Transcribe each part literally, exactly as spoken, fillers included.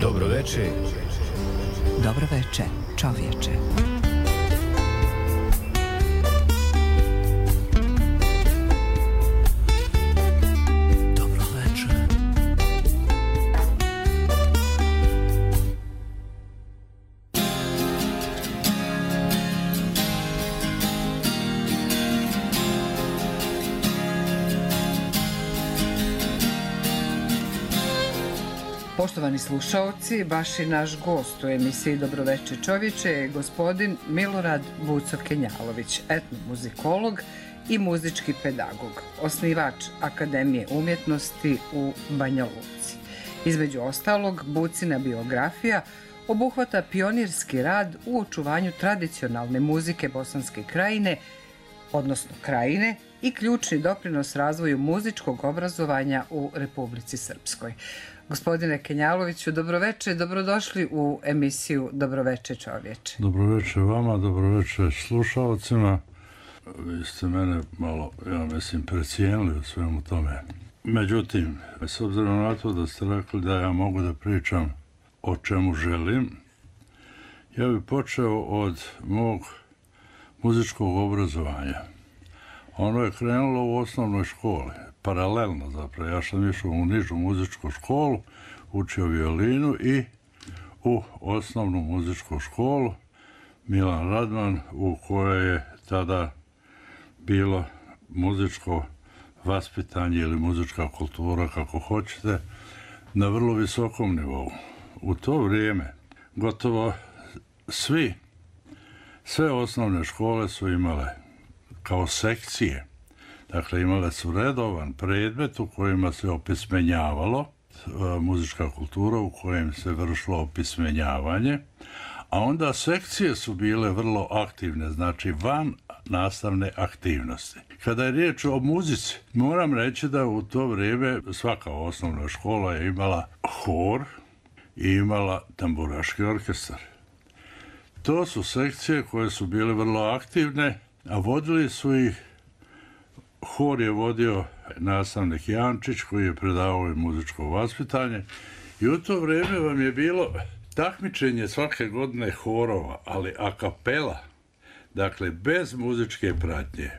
Dobro veče. Dobro veče, čovječe. Poštovani slušaoci, baš i naš gost u emisiji Dobroveče čovječe je gospodin Milorad Bucov-Kenjalović, etnomuzikolog i muzički pedagog, osnivač Akademije umjetnosti u Banja Luci. Između ostalog, Bucina biografija obuhvata pionirski rad u očuvanju tradicionalne muzike Bosanske krajine, odnosno krajine, i ključni doprinos razvoju muzičkog obrazovanja u Republici Srpskoj. Gospodine Kenjaloviću, dobroveče, dobrodošli u emisiju Dobroveče čovječe. Dobroveče vama, dobroveče slušalcima. Vi ste mene malo, ja mislim, precijenili u svemu tome. Međutim, s obzirom na to da ste rekli da ja mogu da pričam o čemu želim, ja bih počeo od mog muzičkog obrazovanja. Ono je krenulo u osnovnoj školi, paralelno zapravo. Ja sam išao u nižu muzičku školu, učio violinu i u osnovnu muzičku školu Milan Radman, u kojoj je tada bilo muzičko vaspitanje ili muzička kultura, kako hoćete, na vrlo visokom nivou. U to vrijeme gotovo svi, sve osnovne škole su imale kao sekcije. Dakle, imale su redovan predmet u kojima se opismenjavalo, muzička kultura u kojem se vršilo opismenjavanje, a onda sekcije su bile vrlo aktivne, znači van nastavne aktivnosti. Kada je riječ o muzici, moram reći da u to vrijeme svaka osnovna škola je imala hor i imala tamburaški orkestar. To su sekcije koje su bile vrlo aktivne, a vodili su ih, hor je vodio nastavnik Jančić koji je predavao i muzičko vaspitanje i u to vrijeme vam je bilo takmičenje svake godine horova, ali a kapela, dakle bez muzičke pratnje.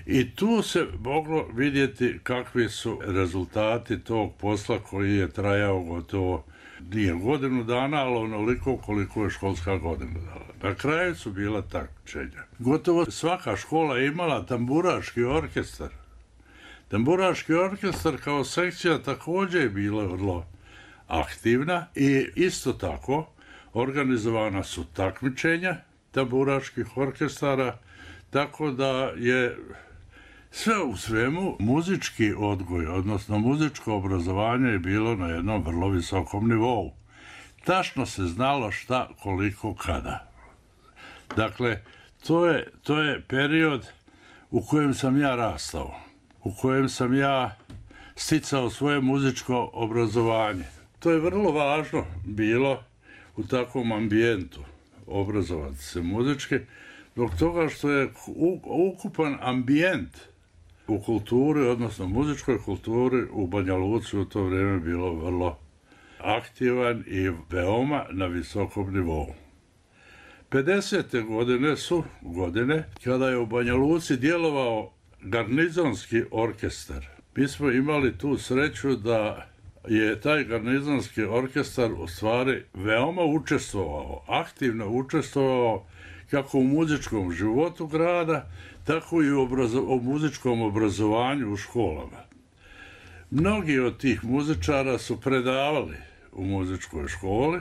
I tu se moglo vidjeti kakvi su rezultati tog posla koji je trajao gotovo nije godinu dana, ali onoliko koliko je školska godina dana. Na kraju su bila takmičenja. Gotovo svaka škola je imala tamburaški orkestar. Tamburaški orkestar kao sekcija također je bila vrlo aktivna i isto tako organizovana su takmičenja tamburaških orkestara, tako da je sve u svemu muzički odgoj, odnosno muzičko obrazovanje je bilo na jednom vrlo visokom nivou. Tačno se znalo šta, koliko, kada. Dakle, to je, to je period u kojem sam ja rastao, u kojem sam ja sticao svoje muzičko obrazovanje. To je vrlo važno bilo u takvom ambijentu obrazovati se muzički, zbog toga što je ukupan ambijent u kulturi, odnosno muzičkoj kulturi u Banja Luci u to vrijeme bilo vrlo aktivan i veoma na visokom nivou. pedesete godine su godine kada je u Banja Luci djelovao garnizonski orkestar. Mi smo imali tu sreću da je taj garnizonski orkestar u stvari veoma učestvovao, aktivno učestvovao kako u muzičkom životu grada, tako i u, obrazo- u muzičkom obrazovanju u školama. Mnogi od tih muzičara su predavali u muzičkoj školi,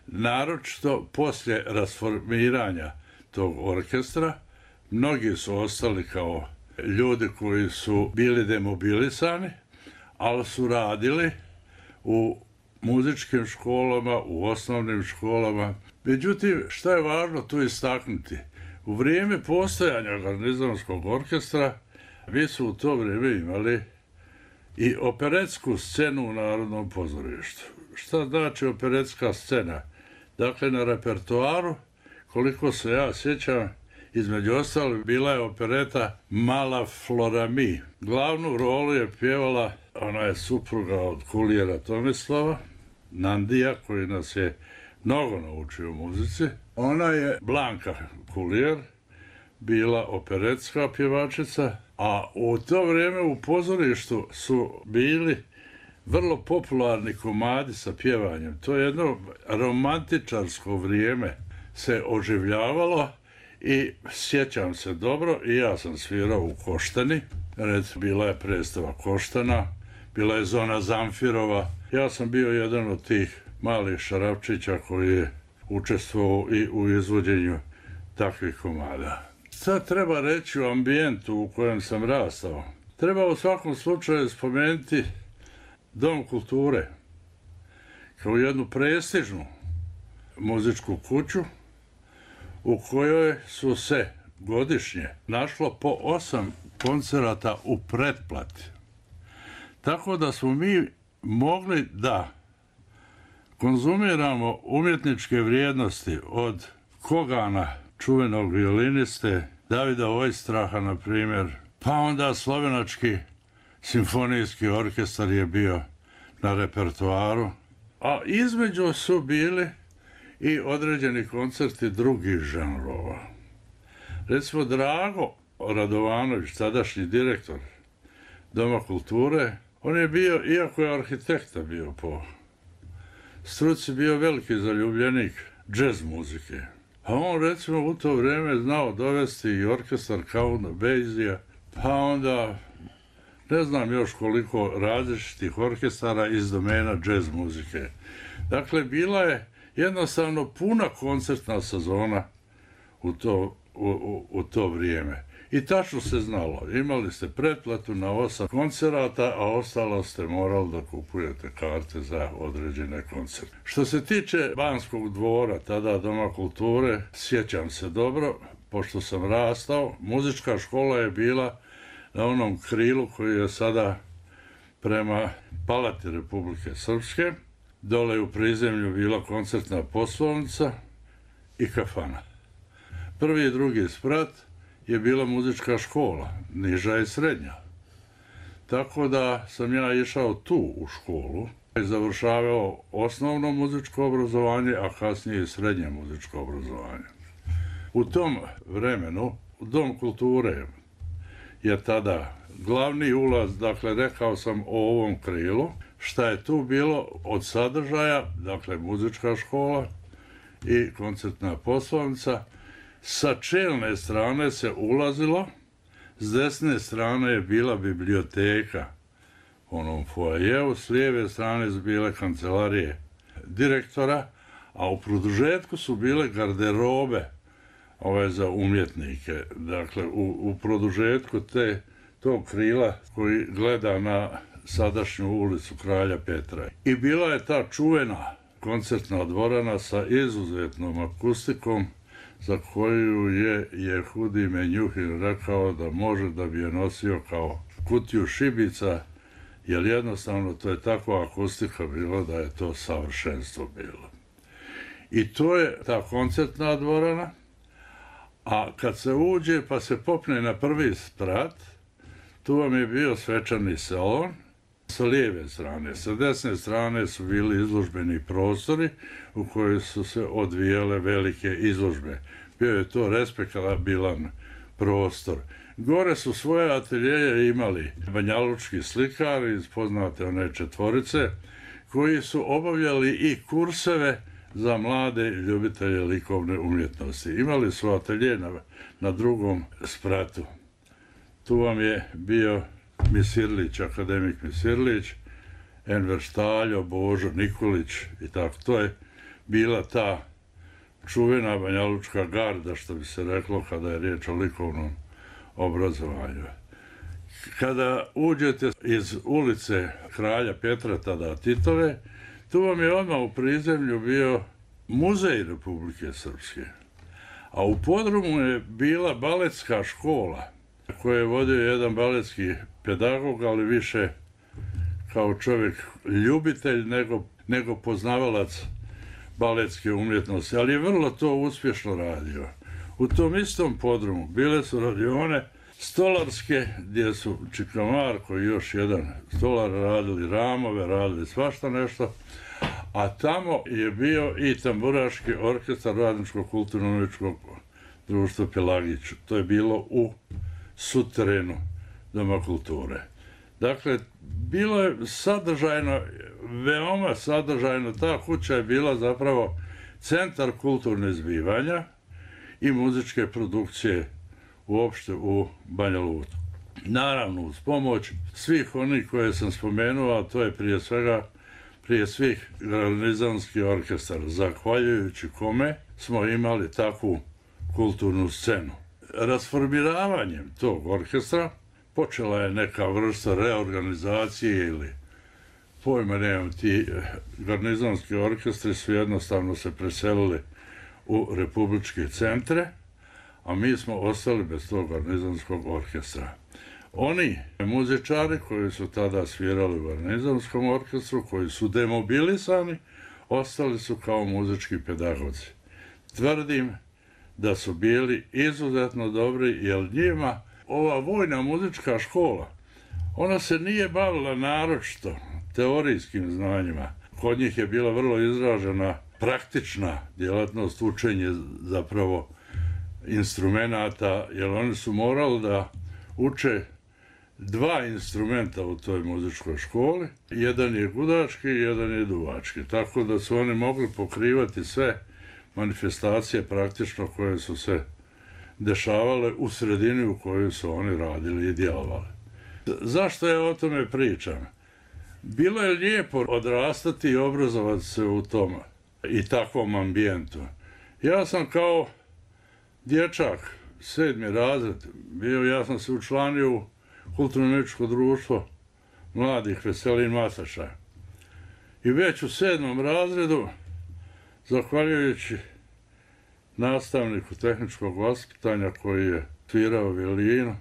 naročito poslije rasformiranja tog orkestra. Mnogi su ostali kao ljudi koji su bili demobilisani, ali su radili u muzičkim školama, u osnovnim školama. Međutim, šta je važno tu istaknuti? U vrijeme postojanja garnizonskog orkestra mi su u to vrijeme imali i operetsku scenu u Narodnom pozorištu. Šta znači operetska scena? Dakle, na repertoaru, koliko se ja sjećam, između ostalih bila je opereta Mala Florami. Glavnu rolu je pjevala ona je supruga od kulijera Tomislava, Nandija, koji nas je mnogo naučio u muzici. Ona je Blanka Kulijer, bila operetska pjevačica, a u to vrijeme u pozorištu su bili vrlo popularni komadi sa pjevanjem. To je jedno romantičarsko vrijeme se oživljavalo i sjećam se dobro, i ja sam svirao u Koštani, recimo bila je predstava Koštana, bila je Zona Zamfirova. Ja sam bio jedan od tih malih šarapčića koji je učestvovao i u izvođenju takvih komada. Sad treba reći o ambijentu u kojem sam rastao. Treba u svakom slučaju spomenuti Dom kulture kao jednu prestižnu muzičku kuću u kojoj su se godišnje našlo po osam koncerata u pretplati. Tako da smo mi mogli da konzumiramo umjetničke vrijednosti od Kogana, čuvenog violiniste, Davida Ojstraha, na primjer, pa onda slovenački simfonijski orkestar je bio na repertoaru, a između su bili i određeni koncerti drugih žanrova. Recimo, Drago Radovanović, tadašnji direktor Doma kulture, on je bio, iako je arhitekta bio po struci, bio veliki zaljubljenik džez muzike. A on, recimo, u to vrijeme znao dovesti i orkestar Count Basija, pa onda ne znam još koliko različitih orkestara iz domena džez muzike. Dakle, bila je jednostavno puna koncertna sezona u to, u, u, u to vrijeme. I tačno se znalo, imali ste pretplatu na osam koncerata, a ostalo ste morali da kupujete karte za određene koncerte. Što se tiče Banskog dvora, tada Doma kulture, sjećam se dobro, pošto sam rastao, muzička škola je bila na onom krilu koji je sada prema Palati Republike Srpske. Dole u prizemlju bila koncertna poslovnica i kafana. Prvi i drugi sprat je bila muzička škola, niža i srednja. Tako da sam ja išao tu u školu i završavao osnovno muzičko obrazovanje, a kasnije i srednje muzičko obrazovanje. U tom vremenu Dom kulture je tada glavni ulaz, dakle rekao sam o ovom krilu, šta je tu bilo od sadržaja, dakle muzička škola i koncertna poslovnica. Sa čelne strane se ulazilo, s desne strane je bila biblioteka u onom foajeu, s lijeve strane su bile kancelarije direktora, a u produžetku su bile garderobe ove za umjetnike. Dakle, u, u produžetku te, tog krila koji gleda na sadašnju ulicu Kralja Petra. I bila je ta čuvena koncertna dvorana sa izuzetnom akustikom, za koju je Jehudi Menjuhin rekao da može da bi je nosio kao kutiju šibica, jer jednostavno to je takva akustika bilo da je to savršenstvo bilo. I to je ta koncertna dvorana, a kad se uđe pa se popne na prvi sprat, tu vam je bio svečani salon sa lijeve strane. Sa desne strane su bili izložbeni prostori u kojoj su se odvijale velike izložbe. Bio je to respektabilan prostor. Gore su svoje ateljeje imali banjalučki slikari iz poznate one četvorice, koji su obavljali i kurseve za mlade ljubitelje likovne umjetnosti. Imali su atelje na, na drugom spratu. Tu vam je bio Misirlić, akademik Misirlić, Enver Štaljo, Božo Nikolić i tako. To je bila ta čuvena banjalučka garda, što bi se reklo kada je riječ o likovnom obrazovanju. Kada uđete iz ulice Kralja Petra, tada Titove, tu vam je odmah u prizemlju bio Muzej Republike Srpske. A u podrumu je bila baletska škola, koju je vodio jedan baletski pedagog, ali više kao čovjek ljubitelj nego, nego poznavalac baletske umjetnosti, ali je vrlo to uspješno radio. U tom istom podrumu bile su radione stolarske, gdje su Čika Marko i još jedan stolar radili ramove, radili svašta nešto, a tamo je bio i tamburaški orkestar Radničkog kulturno-umjetničkog društva Pelagić. To je bilo u suterenu Doma kulture. Dakle, bilo je sadržajno, veoma sadržajno, ta kuća je bila zapravo centar kulturne zbivanja i muzičke produkcije uopšte u Banja Luku. Naravno, uz pomoć svih onih koje sam spomenuo, a to je prije svega, prije svih garnizonski orkestar, zahvaljujući kome smo imali takvu kulturnu scenu. Rasformiravanjem tog orkestra počela je neka vrsta reorganizacije ili pojma nemam, ti garnizonski orkestri su jednostavno se preselili u republičke centre, a mi smo ostali bez tog garnizonskog orkestra. Oni muzičari koji su tada svirali u garnizonskom orkestru, koji su demobilisani, ostali su kao muzički pedagozi. Tvrdim da su bili izuzetno dobri, jer njima ova vojna muzička škola, ona se nije bavila naročito teorijskim znanjima. Kod njih je bila vrlo izražena praktična djelatnost, učenje zapravo instrumenata, jer oni su morali da uče dva instrumenta u toj muzičkoj školi. Jedan je gudački, jedan je duvački. Tako da su oni mogli pokrivati sve manifestacije praktično koje su se dešavale u sredini u kojoj su oni radili i djelovali. Zašto ja o tome pričam? Bilo je lijepo odrastati i obrazovati se u tom i takvom ambijentu. Ja sam kao dječak, sedmi razred, bio, ja sam se učlanio u kulturno-umjetničko društvo mladih Veselin Mataša. I već u sedmom razredu, zahvaljujući nastavniku tehničkog vaspitanja koji je svirao violinu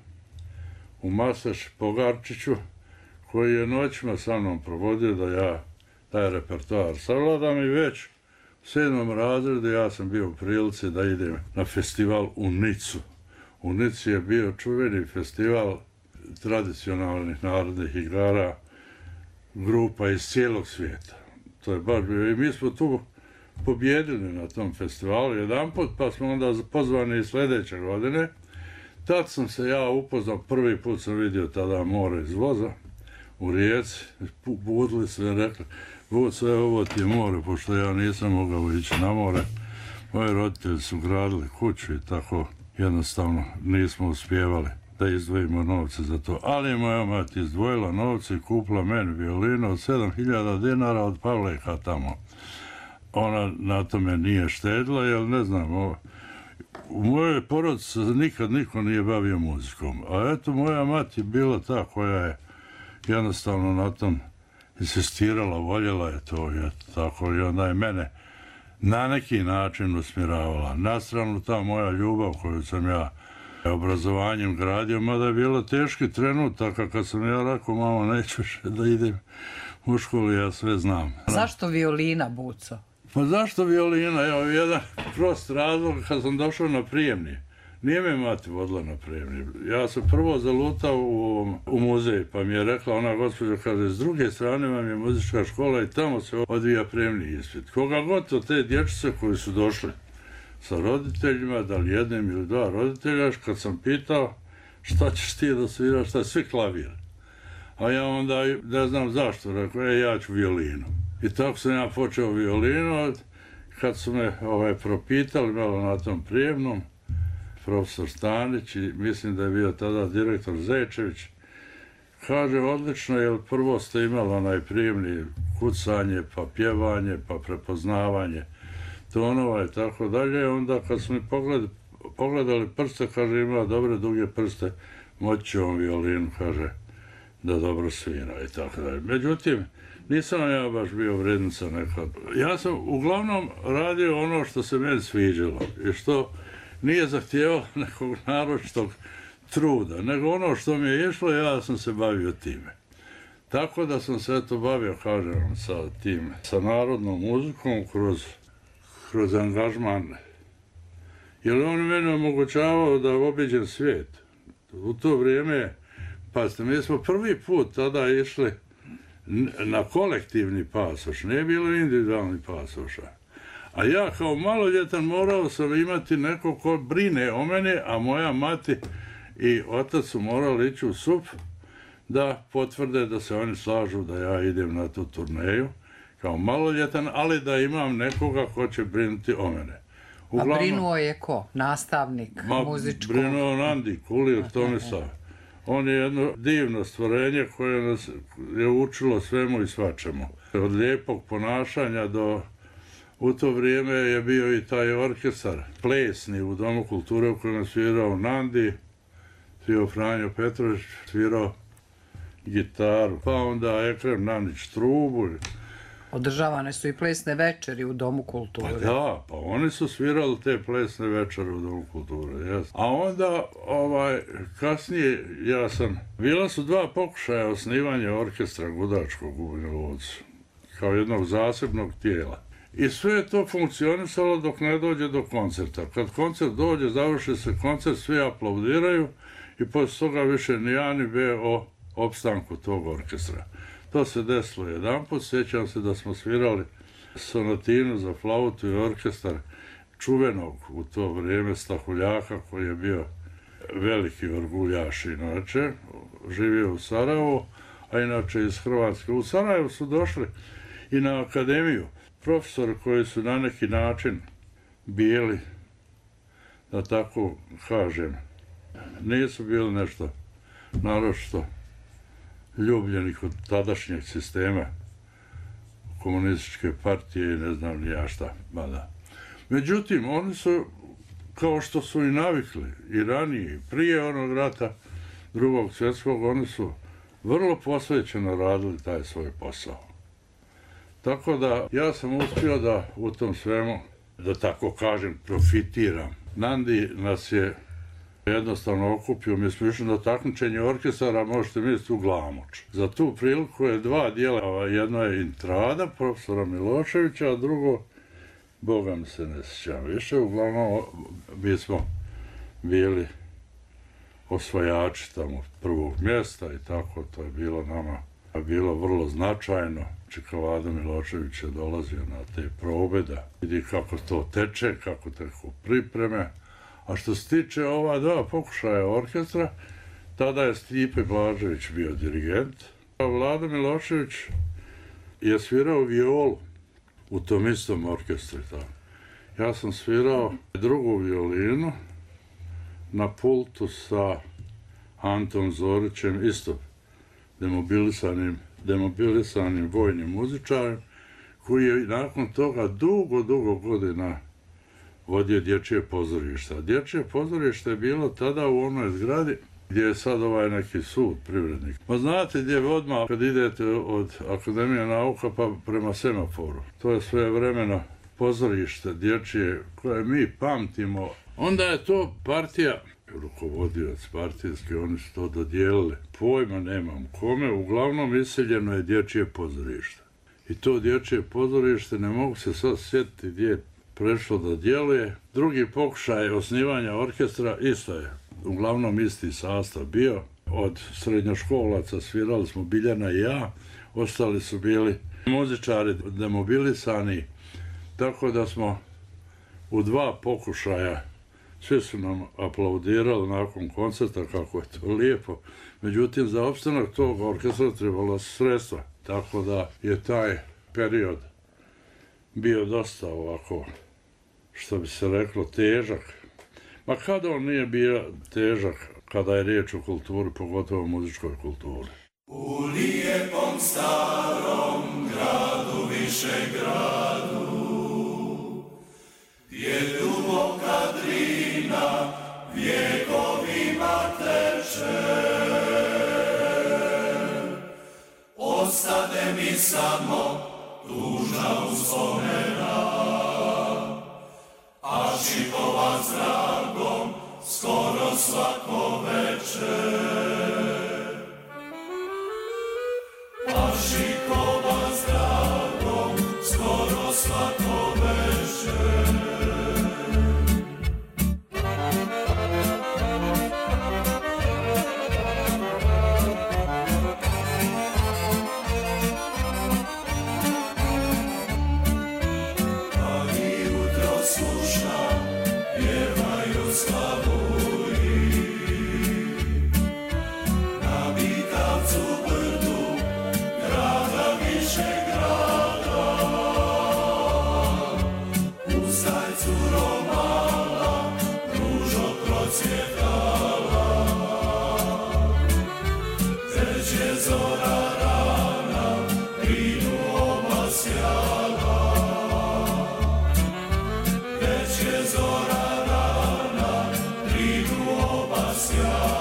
u Masaš Pogarčiću, koji je noćima sa mnom provodio da ja taj repertoar savladam, i već u sedmom razredu ja sam bio u prilici da idem na festival u Nicu. U Nici je bio čuveni festival tradicionalnih narodnih igara grupa iz cijelog svijeta. To je baš bio, i mi smo tu pobjedili na tom festivalu jedan put, pa smo onda pozvani i sljedeće godine. Tad sam se ja upoznao, prvi put sam vidio tada more iz voza u Rijeci, budili sve rekli, bud sve ovo ti je more, pošto ja nisam mogao ići na more. Moji roditelji su gradili kuću i tako jednostavno nismo uspjevali da izdvojimo novce za to. Ali je moja mati izdvojila novce i kupila meni violinu od sedam hiljada dinara od Pavleka tamo. Ona na tome nije štedila, jer ne znam, u mojoj porodici nikad niko nije bavio muzikom. A eto, moja mati je bila ta koja je jednostavno na tom insistirala, voljela je to, i eto, tako, i onda je mene na neki način usmjeravala. Na stranu ta moja ljubav koju sam ja obrazovanjem gradio, mada je bilo teški trenutak, kad sam ja rekao, mama, neću više da idem u školu, ja sve znam. Zašto violina, Buco? Pa zašto violina? Evo, jedan prost razlog, kad sam došao na prijemni. Nije me mati vodila na prijemni. Ja sam prvo zalutao u, u muzej, pa mi je rekla ona gospođa, kaže, s druge strane vam je muzička škola i tamo se odvija prijemni ispit. Koga god to te dječice koji su došli sa roditeljima, da li jednim ili dva roditelja, kad sam pitao šta ćeš ti da sviraš, šta svi klavir. A ja onda, ne znam zašto, rekao, e, ja ću violinu. I tako sam ja počeo violinu, kad su me ovaj, propitali malo na tom prijemnom, profesor Stanić, i mislim da je bio tada direktor Zečević, kaže, odlično, jer prvo ste imali onaj prijemni kucanje, pa pjevanje, pa prepoznavanje tonova i tako dalje. Onda kad smo mi pogledali, pogledali prste, kaže, ima dobre duge prste, moći će on violinu, kaže, da dobro svira i tako dalje. Međutim, nisam ja baš bio vrednica nekad. Ja sam uglavnom radio ono što se meni sviđalo i što nije zahtijevalo nekog naročitog truda, nego ono što mi je išlo, ja sam se bavio time. Tako da sam se eto bavio, kažem, sa tim, sa narodnom muzikom kroz, kroz angažman. Jer on meni omogućavao da obiđem svijet. U to vrijeme, pa mi smo prvi put tada išli na kolektivni pasoš, nije bilo individualni pasoša. A ja kao maloljetan morao sam imati neko ko brine o mene, a moja mati i otac su morali ići u S U P da potvrde da se oni slažu da ja idem na tu turneju kao maloljetan, ali da imam nekoga ko će brinuti o mene. Uglavnom, a brinuo je ko? Nastavnik ma, muzičkog? Brinuo Nandi Kulir Tomislav. On je jedno divno stvorenje koje nas je učilo svemu i svačemu. Od lijepog ponašanja do... U to vrijeme je bio i taj orkestar plesni u Domu kulture u kojem je svirao Nandi, svirao Franjo Petrović, svirao gitaru, pa onda Ekrem Nanić trubu. Održavane su i plesne večeri u Domu kulture. Pa da, pa oni su svirali te plesne večere u Domu kulture, jes. A onda, ovaj, kasnije, ja sam... Bila su dva pokušaja osnivanja orkestra gudačkog u Banja Luci, kao jednog zasebnog tijela. I sve je to funkcionisalo dok ne dođe do koncerta. Kad koncert dođe, završi se koncert, svi aplaudiraju i posle toga više ni A ni B o opstanku tog orkestra. To se desilo jedanput, sjećam se da smo svirali sonatinu za flautu i orkestar čuvenog u to vrijeme Stahuljaka, koji je bio veliki orguljaš inače, živio u Sarajevu, a inače iz Hrvatske. U Sarajevu su došli i na akademiju profesori koji su na neki način bili, da tako kažem, nisu bili nešto naročito ljubljeni kod tadašnjeg sistema komunističke partije i ne znam ni ja šta. Mada. Međutim, oni su, kao što su i navikli, i ranije, i prije onog rata drugog svjetskog, oni su vrlo posvećeno radili taj svoj posao. Tako da ja sam uspio da u tom svemu, da tako kažem, profitiram. Nandi nas je jednostavno okupio, mi smo išli na takmičenje orkestara, možete misliti u Glamoč. Za tu priliku je dva dijela, jedno je Intrada, profesora Miloševića, a drugo, Boga mi se ne sjećam više, uglavnom mi smo bili osvajači tamo prvog mjesta i tako, to je bilo nama bilo vrlo značajno. Čika Vlado Milošević je dolazio na te probe da vidi kako to teče, kako teku pripreme. A što se tiče ova dva pokušaja orkestra, tada je Stipe Blažević bio dirigent. A Vlado Milošević je svirao violu u tom istom orkestru. Ja sam svirao drugu violinu na pultu sa Antom Zorićem, isto demobilisanim, demobilisanim vojnim muzičarem, koji je nakon toga dugo, dugo godina vodio dječje pozorište. Dječje pozorište je bilo tada u onoj zgradi gdje je sad ovaj neki sud privrednik. Pa znate gdje odmah kad idete od Akademije nauka pa prema semaforu. To je sve vremeno pozorište dječje koje mi pamtimo. Onda je to partija, rukovodioc partijski, oni su to dodijelili. Pojma nemam kome, uglavnom iseljeno je dječje pozorište. I to dječje pozorište, ne mogu se sad sjetiti gdje je prešlo da djeluje. Drugi pokušaj osnivanja orkestra isto je, uglavnom isti sastav bio. Od srednjoškolaca svirali smo Biljana i ja, ostali su bili muzičari demobilisani, tako da smo u dva pokušaja, svi su nam aplaudirali nakon koncerta kako je to lijepo. Međutim, za opstanak tog orkestra trebalo sredstva, tako da je taj period bio dosta ovako, što bi se reklo, težak. Ma kada on nije bio težak, kada je riječ o kulturi, pogotovo o muzičkoj kulturi. U lijepom starom gradu, Višegradu, gdje duboka Drina vjekovima teče, ostade mi samo tužna uspomena, a šipova zragom skoro svako večer. A šipova zragom skoro svako večer. zora rana, brinu oba sjala. Već je zora rana, brinu oba sjala.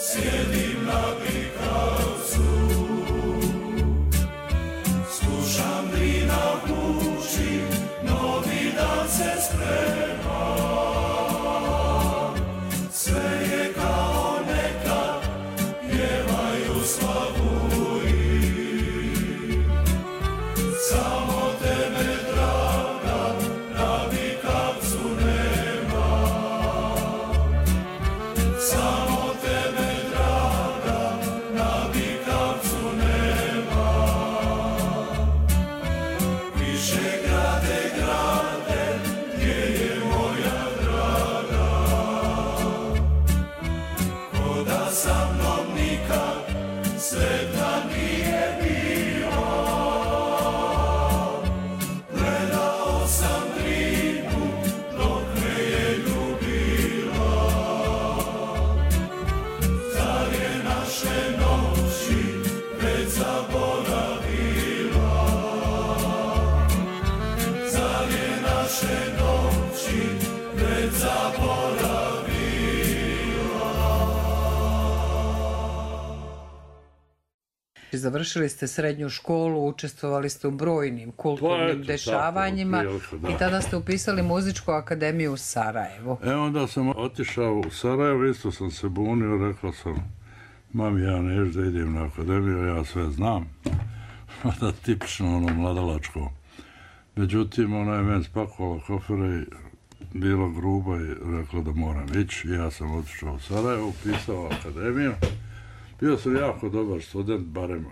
Sjedim na prikavcu, slušam Drina buči, novi dan se sprema. Sve je kao nekad, pjevaju slavuji. Samo tebe, draga, na prikavcu nema. Samo sveta nije bila, gledao sam Drinu dok me je ljubila. Zar je naše noći već zaboravila? Zar je naše noći već zaboravila? Završili ste srednju školu, učestvovali ste u brojnim kulturnim Pa eto, dešavanjima tako, prilike, da. i tada ste upisali muzičku akademiju u Sarajevu. E onda sam otišao u Sarajevo, isto sam se bunio, rekao sam, mami, ja neću da idem na akademiju, ja sve znam. Da, tipično ono mladalačko. Međutim, ona je meni spakovala kofere i bila gruba i rekla da moram ići. Ja sam otišao u Sarajevo, upisao akademiju. Bio sam jako dobar student, barem.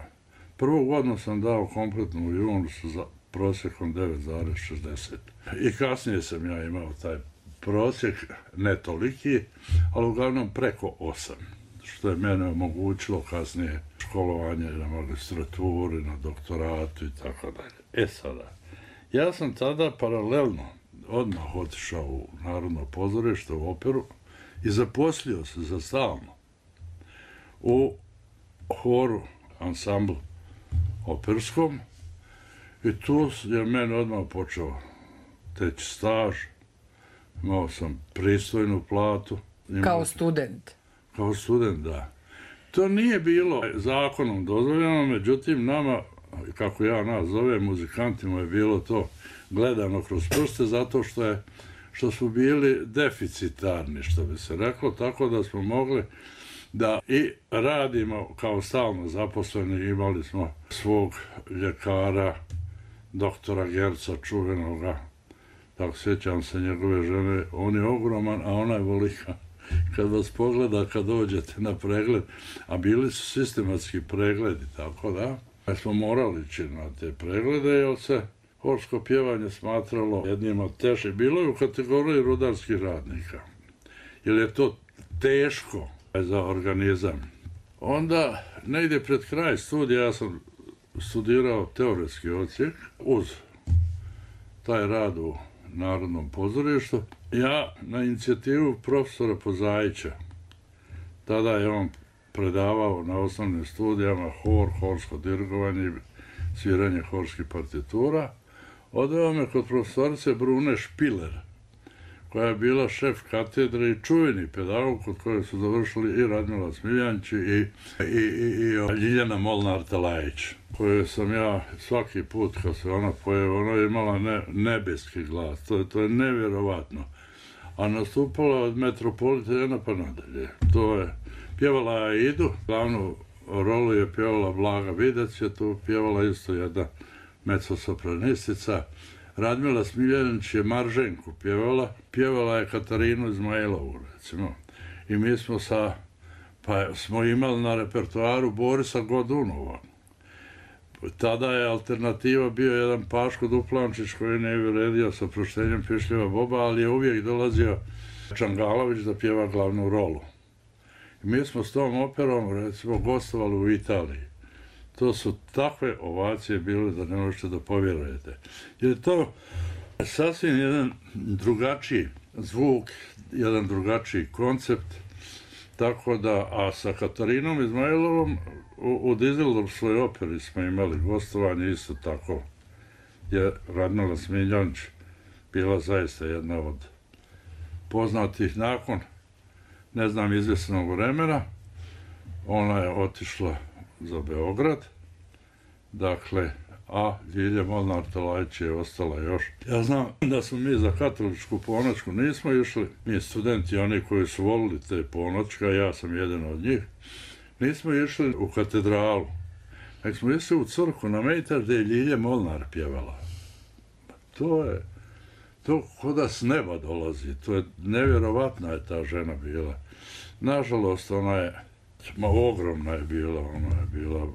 Prvu godinu sam dao kompletnu u junu sa prosjekom devet zarez šezdeset. I kasnije sam ja imao taj prosjek, ne toliki, ali uglavnom preko osam. Što je mene omogućilo kasnije školovanje na magistraturi, na doktoratu i tako dalje. E sada, ja sam tada paralelno odmah otišao u Narodno pozorište, u operu i zaposlio se za stalno u horu, ansamblu operskom, i tu je meni odmah počeo teći staž, imao sam pristojnu platu. Kao student? Kao student, da. To nije bilo zakonom dozvoljeno, međutim nama, kako ja nas zovem, muzikantima je bilo to gledano kroz prste, zato što je, što smo bili deficitarni, što bi se reklo, tako da smo mogli da i radimo kao stalno zaposleni. Imali smo svog ljekara, doktora Gerca, čuvenoga, tako sjećam se njegove žene, on je ogroman, a ona je velika. Kad vas pogleda, kad dođete na pregled, a bili su sistematski pregledi, tako da, smo morali ići na te preglede, jer se horsko pjevanje smatralo jednim od teže. Bilo je u kategoriji rudarskih radnika, jer je to teško za organizam. Onda, negdje pred kraj studija, ja sam studirao teoretski odsjek uz taj rad u Narodnom pozorištu. Ja na inicijativu profesora Pozajića, tada je on predavao na osnovnim studijama hor, horsko dirigovanje i sviranje horskih partitura, odveo me kod profesorice Brune Špiler, koja je bila šef katedre i čuveni pedagog kod koje su završili i Radmila Smiljančić i, i, i, i Ljiljana Molnar-Talajić, koju sam ja svaki put kad se ona pojave, ona je imala ne, nebeski glas, to je, to je nevjerovatno. A nastupala od Metropolitana pa nadalje. To je, pjevala Aidu, glavnu rolu je pjevala Blaga Vidac, je tu pjevala isto jedna mezzosopranistica. Radmila Smiljanić je Marženku pjevala, pjevala je Katarinu Izmailovu, recimo. I mi smo sa, pa smo imali na repertoaru Borisa Godunova. Tada je alternativa bio jedan Paško Duplančić koji ne je redio sa Proštenjem Pišljeva Boba, ali je uvijek dolazio Čangalović da pjeva glavnu rolu. Mi smo s tom operom, recimo, gostovali u Italiji. To su takve ovacije bile da ne možete da povjerujete. Jer je to sasvim jedan drugačiji zvuk, jedan drugačiji koncept, tako da, a sa Katarinom Izmailovom u, u Dizeldorfskoj operi smo imali gostovanje isto tako, je Radmila Smiljanić bila zaista jedna od poznatih nakon, ne znam, izvjesnog vremena. Ona je otišla za Beograd, dakle, a Ljilja Molnar-Talajić je ostala još. Ja znam da smo mi za katoličku ponoćku nismo išli, mi studenti, oni koji su volili te ponoćka, ja sam jedan od njih, nismo išli u katedralu, nek smo išli u crkvu na Mejtar gdje je Ljilja Molnar pjevala. To je, to ko da s neba dolazi, to je nevjerovatna je ta žena bila. Nažalost, ona je, ma ogromna je bila, ona je bila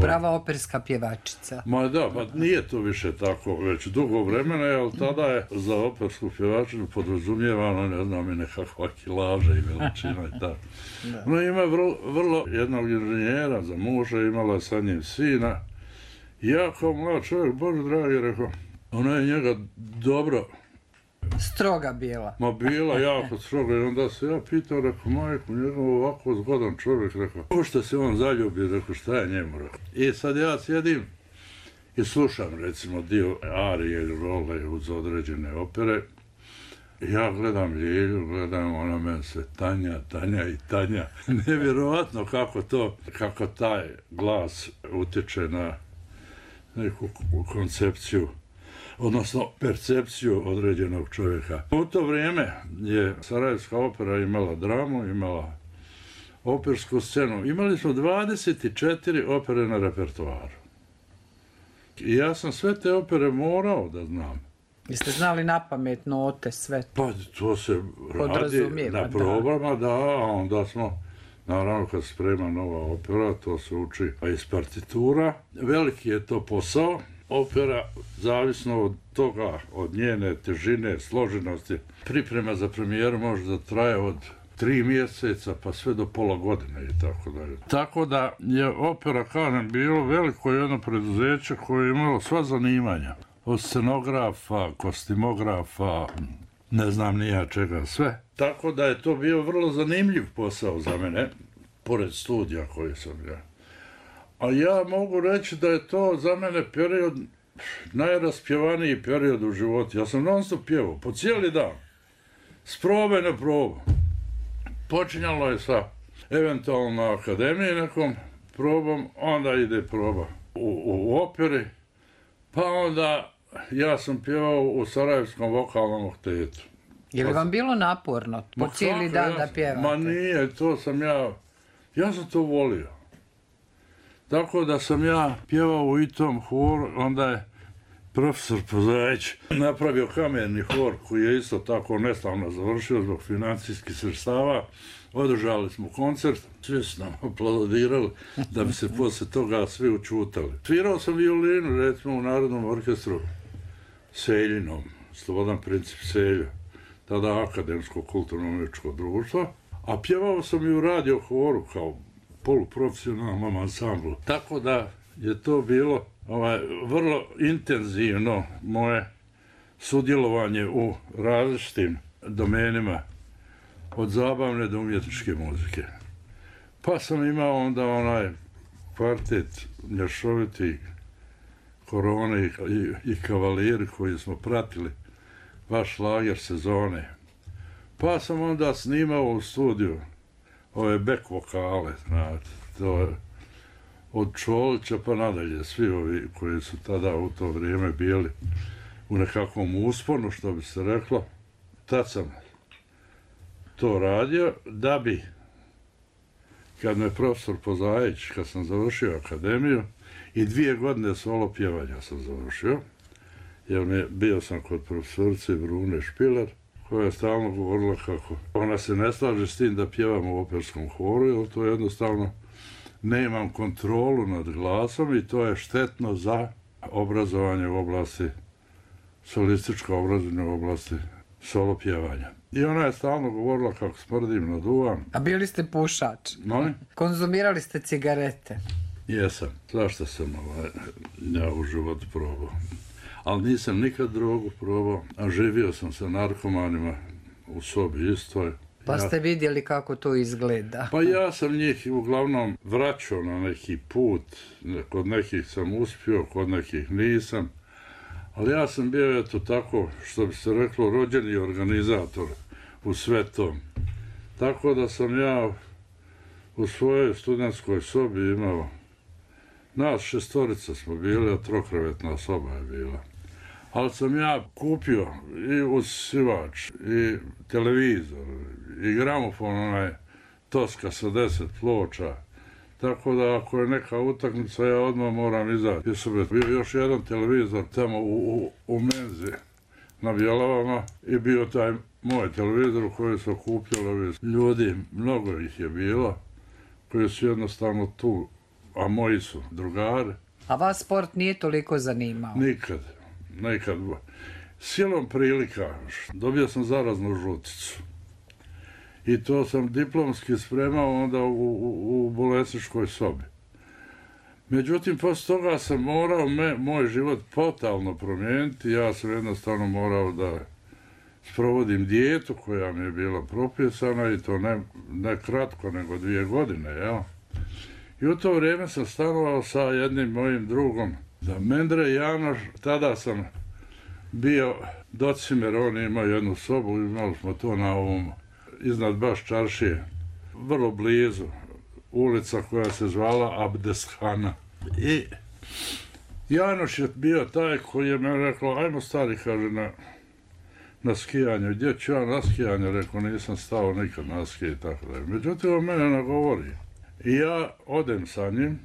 prava operska pjevačica. Ma da, pa nije to više tako, već dugo vremena, ali tada je za opersku pjevačicu podrazumijevano, ne znam, i nekakva kilaža i veličina i tako. Ona ima vrlo, vrlo jednog inženjera za muža, imala je sa njim sina. Ja kao mlad čovjek, Bože dragi, rekao, ona je njega dobro stroga bila. Ma bila jako stroga i onda se ja pitao, rekao, majku, njegov ovako zgodan čovjek, rekao, ko što se on zaljubi, rekao, šta je njemu, rekao. I sad ja sjedim i slušam, recimo, dio arije ili role uz određene opere. Ja gledam Ljilju, gledam, ona meni se tanja, tanja i tanja. Nevjerovatno kako to, kako taj glas utječe na neku koncepciju, odnosno percepciju određenog čovjeka. U to vrijeme je Sarajevska opera imala dramu, imala opersku scenu. Imali smo dvadeset četiri opere na repertoaru. I ja sam sve te opere morao da znam. Jeste znali napamet note, sve? Pa to se radi na probama, da, a onda smo, naravno kad se sprema nova opera, to se uči iz partitura. Veliki je to posao. Opera, zavisno od toga, od njene težine, složenosti, priprema za premijeru može da traje od tri mjeseca pa sve do pola godine i tako dalje. Tako da je opera, kažem, bilo veliko jedno preduzeće koje je imalo sva zanimanja. Od scenografa, kostimografa, ne znam nija čega, sve. Tako da je to bio vrlo zanimljiv posao za mene, pored studija koji sam ja. A ja mogu reći da je to za mene period, najraspjevaniji period u životu. Ja sam non stop pjevao, po cijeli dan, s probe na probu. Počinjalo je sa eventualno na akademiji nekom probom, onda ide proba u, u operi, pa onda ja sam pjevao u Sarajevskom vokalnom oktetu. Je li vam bilo naporno po cijeli dan ja, da pjevate? Ma nije, to sam ja, ja sam to volio. Tako da sam ja pjevao u itom horu, onda je profesor Pozajić napravio kamerni hor koji je isto tako neslavno završio zbog financijskih sredstava. Održali smo koncert, svi su nam aplaudirali da bi se posle toga svi učutali. Svirao sam violinu, recimo u Narodnom orkestru Seljinom, Slobodan Princip Selja, tada Akademsko kulturno-umjetničko društvo, a pjevao sam i u radio horu kao poluprofesionalnom ansamblu. Tako da je to bilo ovaj, vrlo intenzivno moje sudjelovanje u različitim domenima od zabavne do umjetničke muzike. Pa sam imao onda onaj kvartet mješoviti Korone i, i Kavalijeri koji smo pratili vaš lager sezone. Pa sam onda snimao u studiju ove back vokale, znate, to je od Čolića pa nadalje, svi ovi koji su tada u to vrijeme bili u nekakvom usponu, što bi se reklo. Tad sam to radio, da bi, kad me profesor Pozajić, kad sam završio akademiju, i dvije godine solo pjevanja sam završio, jer me, bio sam kod profesorice Brune Špiler, koja je stalno govorila kako ona se ne slaže s tim da pjevam u operskom horu, jer to jednostavno nemam kontrolu nad glasom i to je štetno za obrazovanje u oblasti, solističko obrazovanje u oblasti solo pjevanja. I ona je stalno govorila kako smrdim, naduvam. A bili ste pušač? Molim? Konzumirali ste cigarete? Jesam. Zašto sam ovaj, ja u životu probao. Ali nisam nikad drogu probao, a živio sam sa narkomanima u sobi istoj. Pa ja... ste vidjeli kako to izgleda? Pa ja sam njih uglavnom vraćao na neki put. Kod nekih sam uspio, kod nekih nisam. Ali ja sam bio, eto tako, što bi se reklo, rođeni organizator u sve tom. Tako da sam ja u svojoj studentskoj sobi imao, nas šestorica smo bili, a trokrevetna soba je bila. Ali sam ja kupio i usivač, i televizor, i gramofon, onaj Toska sa deset ploča. Tako da ako je neka utakmica, ja odmah moram izaći. I sam bio još jedan televizor tamo u, u, u menzi na Bjelavama i bio taj moj televizor u koji su okupljali ljudi, mnogo ih je bilo, koji su jednostavno tu, a moji su drugari. A vas sport nije toliko zanimao? Nikad, nikad. Silom prilika dobio sam zaraznu žuticu. I to sam diplomski spremao onda u, u, u bolesničkoj sobi. Međutim, posle toga sam morao me, moj život totalno promijeniti. Ja sam jednostavno morao da sprovodim dijetu koja mi je bila propisana i to ne, ne kratko, nego dvije godine, jel? I u to vrijeme sam stanovao sa jednim mojim drugom, da Mendre Janoš. Tada sam bio Docimer, on imao jednu sobu, imali smo to na ovom iznad baš čaršije, vrlo blizu, ulica koja se zvala Abdeshana. I Janoš je bio taj koji je meni rekao, ajmo stari, kaže, na, na skijanje. Gdje ću ja na skijanje? Rekao, nisam stao nikad na skije i tako da je. Međutim, on mene nagovori. I ja odem sa njim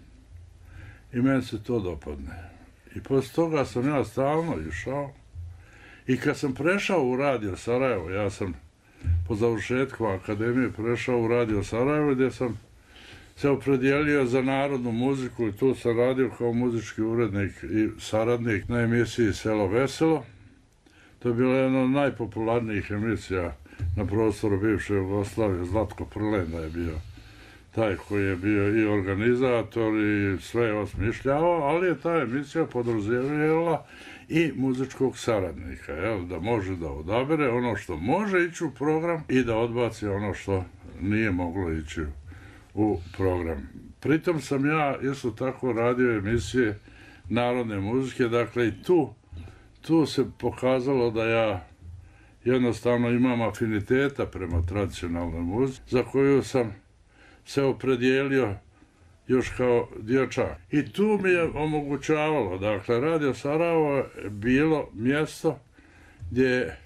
i meni se to dopadne. I posle toga sam ja stalno išao. I kad sam prešao u Radio Sarajevo, ja sam po završetku akademije prešao u Radio Sarajevo gdje sam se opredijelio za narodnu muziku i tu sam radio kao muzički urednik i saradnik na emisiji Selo Veselo. To je bila jedna od najpopularnijih emisija na prostoru bivše Jugoslavije. Zlatko Prlenda je bio taj koji je bio i organizator i sve osmišljavao, ali je ta emisija podrazumijevala i muzičkog saradnika, jel, da može da odabere ono što može ići u program i da odbaci ono što nije moglo ići u program. Pritom sam ja isto tako radio emisije narodne muzike, dakle i tu, tu se pokazalo da ja jednostavno imam afiniteta prema tradicionalnoj muzici, za koju sam se opredijelio još kao dječak. I tu mi je omogućavalo, dakle, Radio Sarajevo je bilo mjesto gdje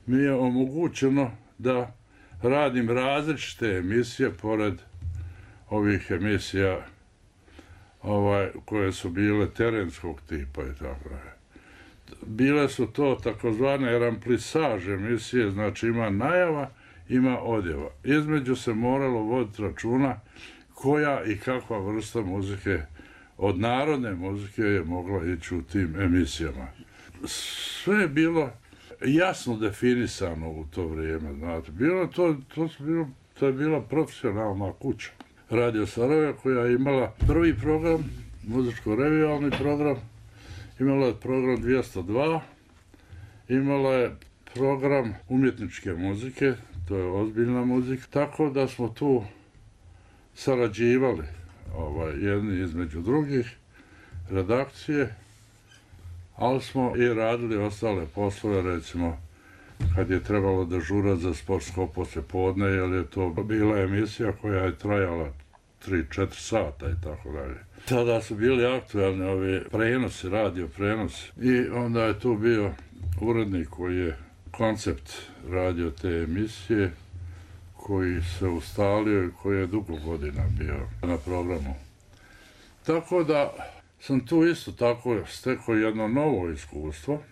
mi je omogućeno da radim različite emisije pored ovih emisija ovaj, koje su bile terenskog tipa i tako dalje. Bile su to takozvane ramplisaže emisije, znači ima najava, ima odjava. Između se moralo voditi računa koja i kakva vrsta muzike od narodne muzike je mogla ići u tim emisijama. Sve je bilo jasno definisano u to vrijeme, znate. Bilo to, to, bilo, to je bila profesionalna kuća. Radio Sarajevo koja je imala prvi program, muzičko-revijalni program, imala je program dvjesto dva, imala je program umjetničke muzike, to je ozbiljna muzika, tako da smo tu sarađivali ovaj, jedni između drugih redakcije, ali smo i radili ostale poslove, recimo kad je trebalo dežurati za sportsko poslijepodne, jer je to bila emisija koja je trajala tri četiri sata i tako dalje. Tada su bili aktualni ovi prenosi, radio prenosi i onda je tu bio urednik koji je koncept radio te emisije, koji se ustalio i koji je dugo godina bio na programu. Tako da sam tu isto tako stekao jedno novo iskustvo,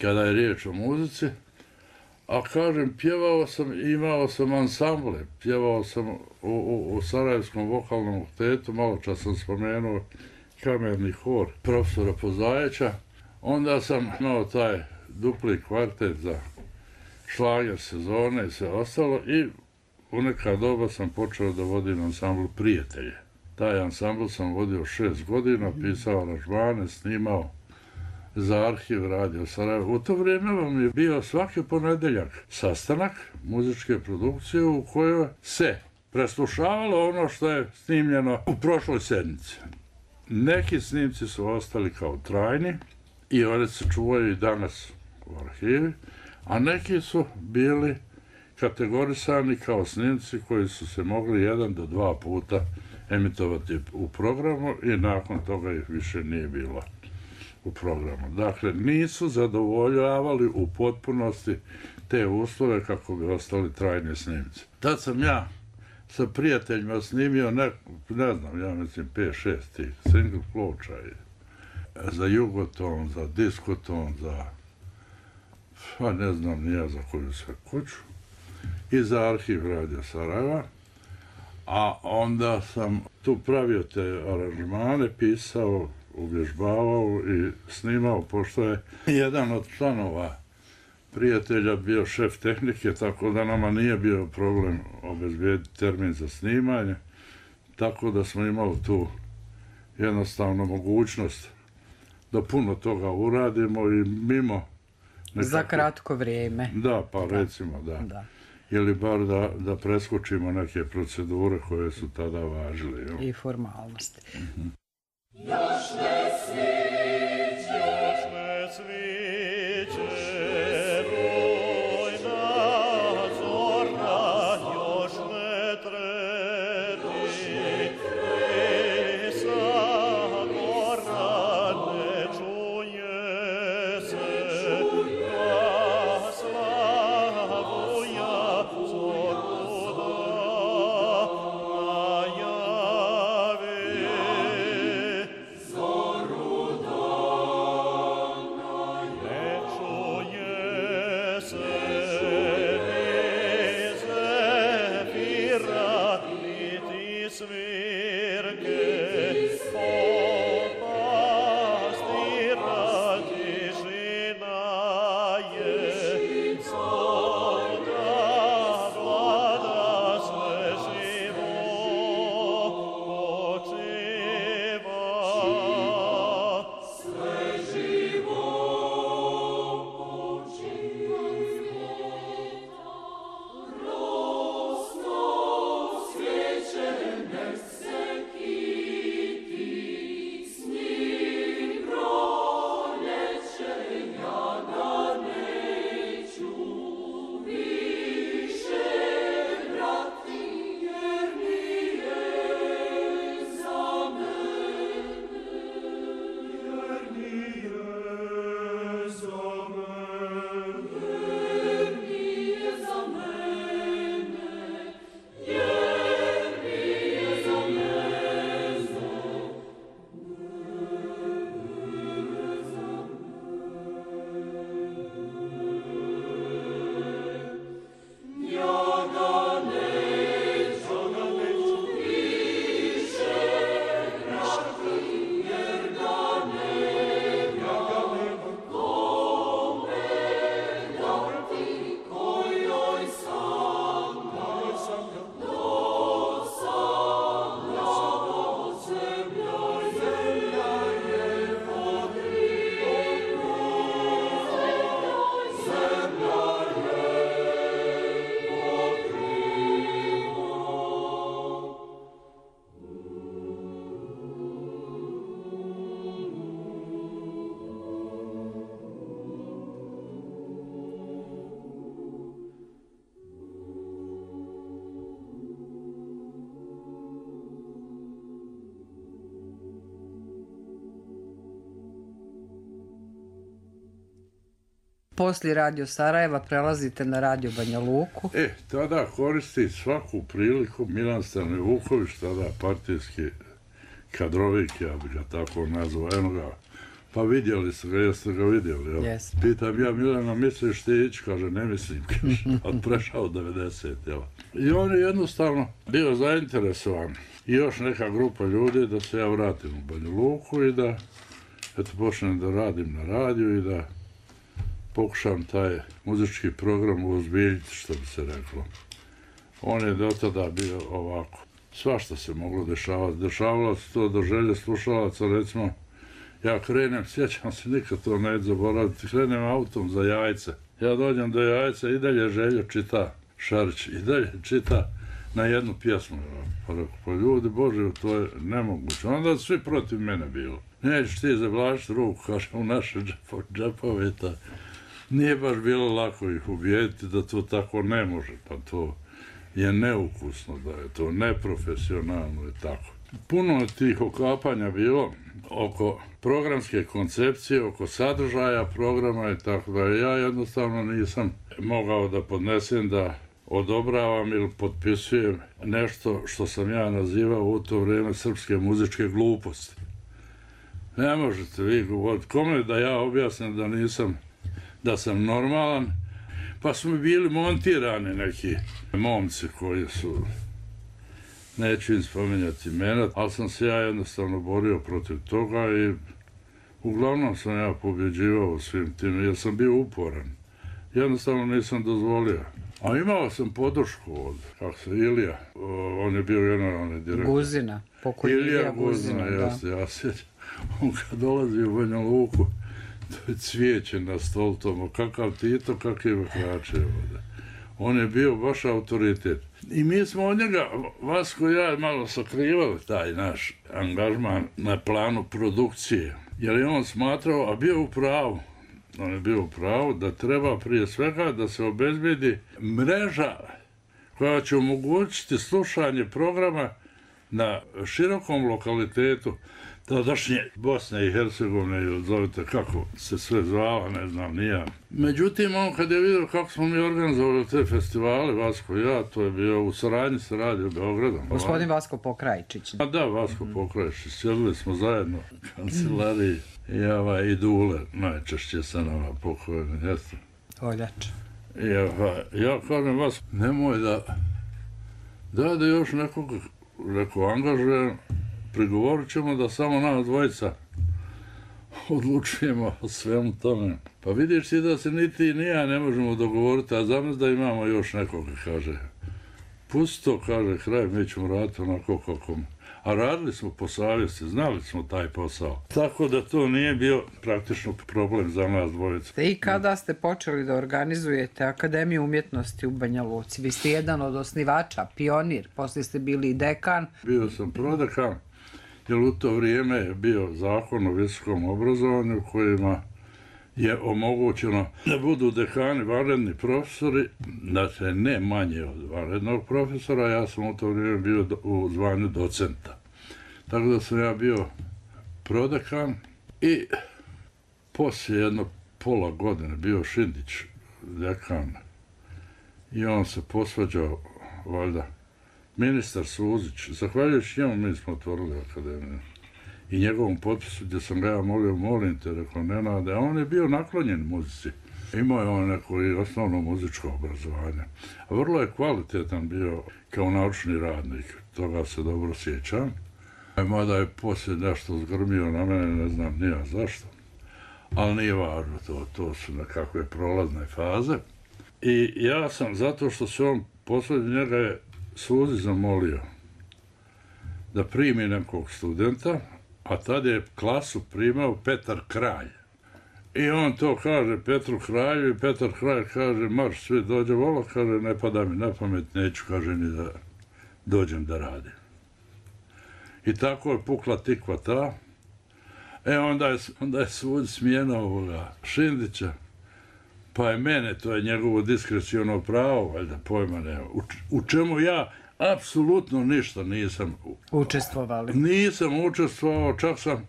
kada je riječ o muzici, a kažem, pjevao sam, imao sam ansamble, pjevao sam u, u, u Sarajevskom vokalnom oktetu, malo čas sam spomenuo kamerni hor profesora Pozajeća, onda sam imao taj dupli kvartet za šlager sezone i sve ostalo i u neka doba sam počeo da vodim ansambl Prijatelje. Taj ansambl sam vodio šest godina, pisao aranžmane, snimao za arhiv Radio Sarajevo. U to vrijeme vam je bio svaki ponedeljak sastanak muzičke produkcije u kojoj se preslušavalo ono što je snimljeno u prošloj sedmici. Neki snimci su ostali kao trajni i oni se čuvaju i danas u arhivi, a neki su bili kategorisani kao snimci koji su se mogli jedan do dva puta emitovati u programu i nakon toga ih više nije bilo u programu. Dakle, nisu zadovoljavali u potpunosti te uslove kako bi ostali trajni snimci. Tad sam ja sa prijateljima snimio, ne, ne znam, ja mislim pet šest tih single ploča za Jugoton, za Diskoton, za, pa ne znam nija za koju sve kuću, i za arhiv Radio Sarajeva. A onda sam tu pravio te aranžmane, pisao, uvježbavao i snimao, pošto je jedan od članova Prijatelja bio šef tehnike, tako da nama nije bio problem obezbijediti termin za snimanje, tako da smo imali tu jednostavno mogućnost da puno toga uradimo i mimo nekako... Za kratko vrijeme. Da, pa da. recimo, da. da. Ili bar da, da preskočimo neke procedure koje su tada važile. Jo? I formalnosti. Mm-hmm. Još ne sviđa, još ne sviđa, rujna zorna, još ne treti, pesa gorna, ne čuje se, glasla vuja, zoruda najavi. Poslije Radio Sarajeva prelazite na Radio Banja Luku. E, tada koristi svaku priliku Milan Stanivuković, tada partijski kadrovik, ja bih ga tako nazvao, eno ga, pa vidjeli ste ga, jeste ga vidjeli, jel? Yes. Pitam ja, Milana, misliš ti ići? Kaže, ne mislim, kaže, od prešao devedeset, jel? I on je jednostavno bio zainteresovan i još neka grupa ljudi da se ja vratim u Banja Luku i da, eto, počnem da radim na radiju i da pokušam taj muzički program uozbiljiti, što bi se reklo. On je do tada bio ovako. Svašta se moglo dešavati. Dešavalo se to do želje slušalaca, recimo, ja krenem, sjećam se, nikad to ne zaboraviti, krenem autom za Jajce. Ja dođem do Jajca i dalje Željo čita Šarić, i dalje čita na jednu pjesmu. Pa rekao, pa ljudi Bože, to je nemoguće. Onda su svi protiv mene bilo. Nećeš ti zavlačiti ruku, kaže, u naše džepove. Nije baš bilo lako ih ubijediti da to tako ne može, pa to je neukusno, da je to neprofesionalno i tako. Puno je tih okapanja bilo oko programske koncepcije, oko sadržaja programa i tako da. Ja jednostavno nisam mogao da podnesem da odobravam ili potpisujem nešto što sam ja nazivao u to vrijeme srpske muzičke gluposti. Ne možete vi govoriti kome da ja objasnim da nisam, da sam normalan, pa su mi bili montirani neki momci koji su, neću im spominjati imena, ali sam se ja jednostavno borio protiv toga i uglavnom sam ja pobjeđivao u svim tim, jer sam bio uporan. Jednostavno nisam dozvolio. A imao sam podršku od, kako se, Ilija, on je bio generalni direktor. Guzina, pokoj Ilija Guzina, Guzina, jeste, ja sjećam. On kad dolazi u Banja Luku, to je cvijeće na stol tomu, kakav Tito, kakve krače ovdje. On je bio baš autoritet. I mi smo od njega, Vasko i ja, malo sakrivali taj naš angažman na planu produkcije. Jer je on smatrao, a bio u pravu, on je bio u pravu da treba prije svega da se obezbedi mreža koja će omogućiti slušanje programa na širokom lokalitetu tadašnje Bosne i Hercegovine, ili zovite kako se sve zvala, ne znam, nija. Međutim, on kad je vidio kako smo mi organizovali te festivale, Vasko i ja, to je bio u saradnji sa Radio Beogradom. Gospodin Vasko Pokrajčić. A da, Vasko mm. Pokrajčić. Sjedili smo zajedno u kancelariji i ova Idule, najčešće sa nama pokojeni, jeste. Oljač. I ova, ja kažem vas, nemoj da, da da još nekog, rekao, angažujem, prigovorit ćemo da samo nas dvojica odlučujemo o svemu tome. Pa vidiš ti da se ni ti ni ja ne možemo dogovoriti, a znam da imamo još nekoga, kaže. Pusti to, kaže, kraj, mi ćemo raditi onako kako. A radili smo po savjesti, znali smo taj posao. Tako da to nije bio praktično problem za nas dvojica. I kada ste počeli da organizujete Akademiju umjetnosti u Banja Luci? Vi ste jedan od osnivača, pionir, poslije ste bili i dekan. Bio sam prodekan, jer u to vrijeme je bio zakon o visokom obrazovanju kojima je omogućeno da budu dekani vanredni profesori, dakle ne manje od vanrednog profesora, ja sam u to vrijeme bio u zvanju docenta. Tako da sam ja bio prodekan i poslije jedno pola godine bio Šindić dekan i on se posvađao, valjda, ministar Suzić, zahvaljujući njemu mi smo otvorili akademiju. I njegovom potpisu gdje sam ga ja molio, molim te, rekao, Nenade, a on je bio naklonjen muzici. Imao je on neko i osnovno muzičko obrazovanje. A vrlo je kvalitetan bio kao naučni radnik, toga se dobro sjećam. Mada je poslije nešto zgrmio na mene, ne znam nija zašto. Ali nije važno, to, to su nekakve prolazne faze. I ja sam, zato što se on posljednji njega je Suzi zamolio da primi nekog studenta, a tad je klasu primao Petar Kralj. I on to kaže Petru Kralju i Petar Kralj kaže, marš, svi dođe vola, kaže, ne pada mi na pamet, neću, kaže, ni da dođem da radim. I tako je pukla tikva ta. E, onda je, onda je svud smijena ovoga Šindića, pa je mene, to je njegovo diskreciono pravo, valjda pojma nema, u, u čemu ja apsolutno ništa nisam učestvovali. Nisam učestvovao, čak sam,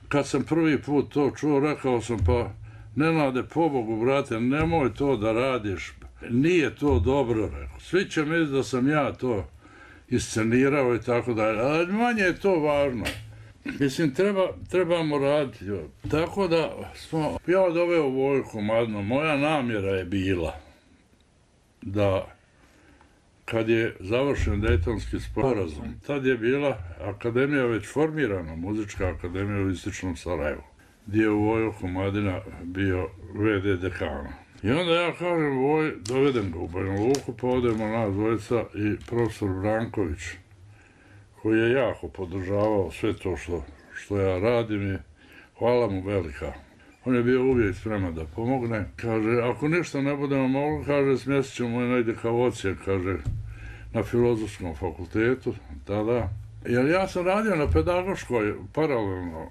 kad sam prvi put to čuo, rekao sam, pa Nenade, pobogu, brate, nemoj to da radiš, nije to dobro, rekao. Svi će misliti da sam ja to iscenirao i tako dalje, ali manje je to važno. Mislim, treba, trebamo raditi. Tako da smo, ja doveo Vojku Madno, moja namjera je bila da kad je završen Dejtonski sporazum, tad je bila akademija već formirana, muzička akademija u Istočnom Sarajevu. gdje je Vojo Komadina bio ve de dekana. I onda ja kažem, Voj, dovedem ga u Banja Luku, pa odemo nas dvojica i profesor Branković, koji je jako podržavao sve to što, što ja radim i hvala mu velika. On je bio uvijek spreman da pomogne. Kaže, ako ništa ne budemo mogli, kaže, smjestit ćemo je negdje kao ocijek, kaže, na Filozofskom fakultetu, tada. Jer ja sam radio na pedagoškoj, paralelno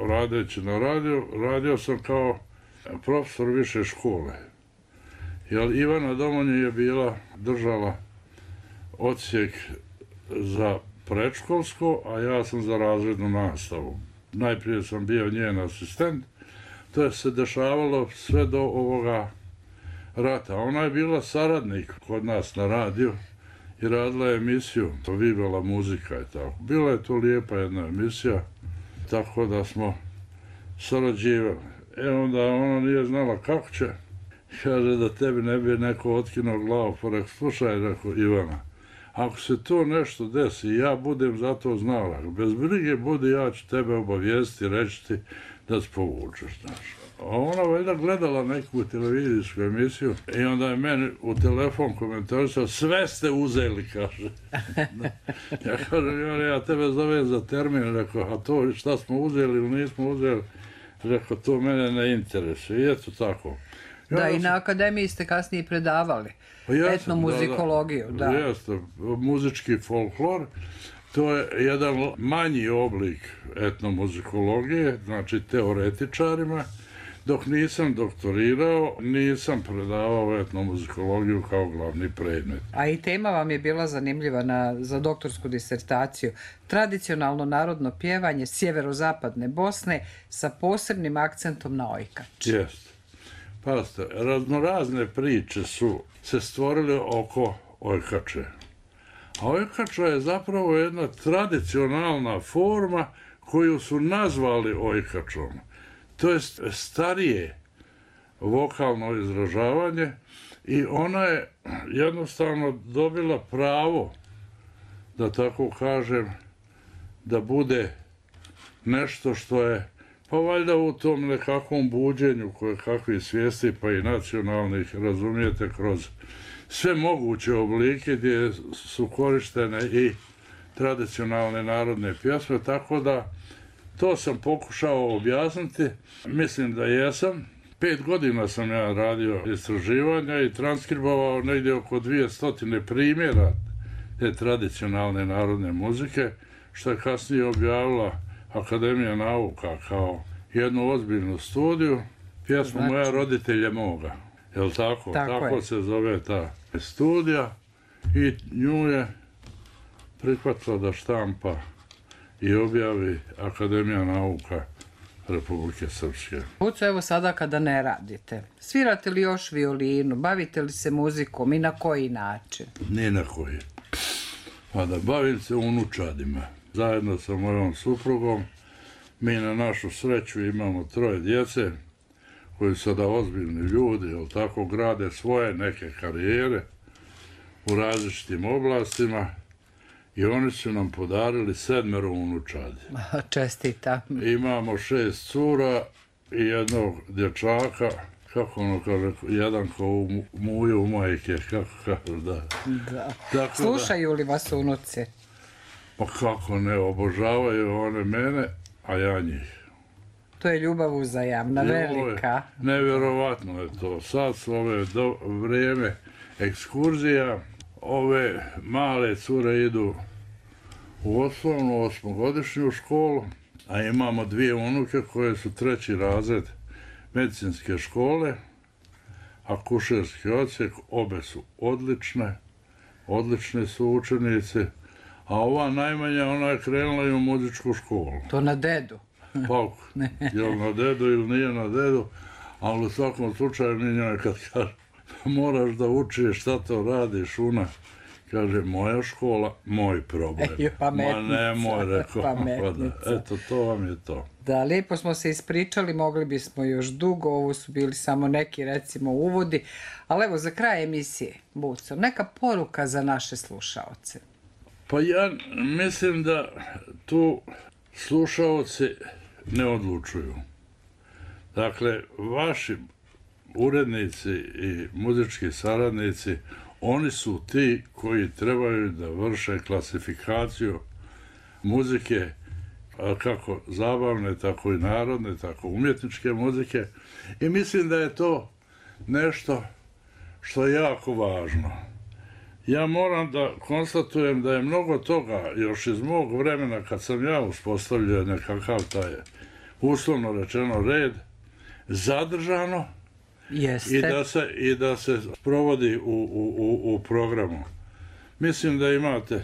radeći na radio, radio sam kao profesor više škole. Jer Ivana Domonje je bila, držala odsjek za predškolsko, a ja sam za razrednu nastavu. Najprije sam bio njen asistent, to je se dešavalo sve do ovoga rata. Ona je bila saradnik kod nas na radiju i radila je emisiju, to Vivela muzika i tako. Bila je to lijepa jedna emisija, tako da smo sarađivali. E onda ona nije znala kako će, kaže da tebi ne bi neko otkinuo glavu, pa rekao, slušaj, rekao Ivana, ako se to nešto desi, ja budem za to znala, bez brige budi, ja ću tebe obavijestiti, reći ti da se povučeš, znaš. A ona valjda gledala neku televizijsku emisiju i onda je meni u telefon komentarisao, sve ste uzeli, kaže. Ja kažem, ja tebe zovem za termin, rekao, a to šta smo uzeli ili nismo uzeli, rekao, to mene ne interesuje. I eto tako. Ja da, i na akademiji ste kasnije predavali pa etnomuzikologiju. Da, da. Jeste, muzički folklor. To je jedan manji oblik etnomuzikologije, znači teoretičarima. Dok nisam doktorirao, nisam predavao etnomuzikologiju kao glavni predmet. A i tema vam je bila zanimljiva na, za doktorsku disertaciju. Tradicionalno narodno pjevanje sjeverozapadne Bosne sa posebnim akcentom na ojkač. Jeste. Pazite, raznorazne priče su se stvorile oko ojkače. A ojkača je zapravo jedna tradicionalna forma koju su nazvali ojkačom. To je starije vokalno izražavanje i ona je jednostavno dobila pravo, da tako kažem, da bude nešto što je, pa valjda u tom nekakvom buđenju koje kakvi svijesti, pa i nacionalnih, razumijete, kroz sve moguće oblike gdje su korištene i tradicionalne narodne pjesme, tako da to sam pokušao objasniti. Mislim da jesam. Pet godina sam ja radio istraživanja i transkribovao negdje oko dvije stotine primjera te tradicionalne narodne muzike, što je kasnije objavila Akademija nauka kao jednu ozbiljnu studiju. Pjesmu znači... Moja roditelje moga. Je li tako? Tako, tako se zove ta studija i nju je prihvatila da štampa i objavi Akademija nauka Republike Srpske. Buco, evo sada kada ne radite, svirate li još violinu, bavite li se muzikom i na koji način? Ni na koji. Pa da bavim se unučadima. Zajedno sa mojom suprugom, mi na našu sreću imamo troje djece, koji su sada ozbiljni ljudi, jel tako, grade svoje neke karijere u različitim oblastima. I oni su nam podarili sedmero unučadi. Čestita. Imamo šest cura i jednog dječaka, kako ono kaže, jedan ko u muju u majke, kako kaže, da. Da. Tako slušaju li vas unuci? Pa kako ne, obožavaju one mene, a ja njih. To je ljubav uzajamna, velika. Nevjerovatno je to. Sad su ove do, vrijeme ekskurzija, ove male cure idu u osnovnu osmogodišnju školu, a imamo dvije unuke koje su treći razred medicinske škole, akušerski odsjek, obe su odlične, odlične su učenici, a ova najmanja, ona je krenula i u muzičku školu. To na dedu? Pa, je li na dedu ili nije na dedu, ali u svakom slučaju mi njoj kad kaže moraš da učiš šta to radiš, ona kaže, moja škola, moj problem. Eju, pametnica. Ma ne, moj, rekao. Pametnica. Eto, to vam je to. Da, lijepo smo se ispričali, mogli bismo još dugo, ovo su bili samo neki, recimo, uvodi. Ali evo, za kraj emisije, Buco, neka poruka za naše slušaoce. Pa ja mislim da tu slušaoci ne odlučuju. Dakle, vaši urednici i muzički saradnici, oni su ti koji trebaju da vrše klasifikaciju muzike, kako zabavne, tako i narodne, tako umjetničke muzike. I mislim da je to nešto što je jako važno. Ja moram da konstatujem da je mnogo toga još iz mog vremena kad sam ja uspostavljao nekakav taj uslovno rečeno red zadržano Jeste. i da se, i da se provodi u, u, u, u programu. Mislim da imate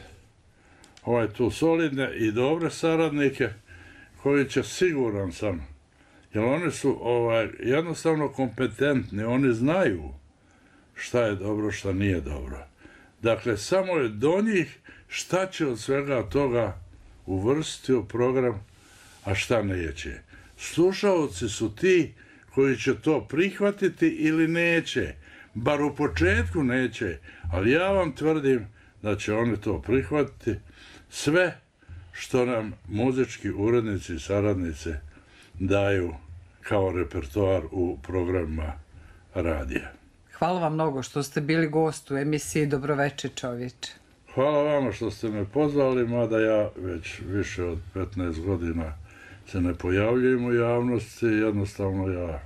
ovaj tu solidne i dobre saradnike koji će, siguran sam, jer oni su ovaj, jednostavno kompetentni, oni znaju šta je dobro, šta nije dobro. Dakle, samo je do njih šta će od svega toga uvrstiti u program, a šta neće. Slušaoci su ti koji će to prihvatiti ili neće. Bar u početku neće, ali ja vam tvrdim da će oni to prihvatiti. Sve što nam muzički urednici i saradnice daju kao repertoar u programima radija. Hvala vam mnogo što ste bili gost u emisiji Dobroveče čovječe. Hvala vama što ste me pozvali, mada ja već više od petnaest godina se ne pojavljujem u javnosti, jednostavno ja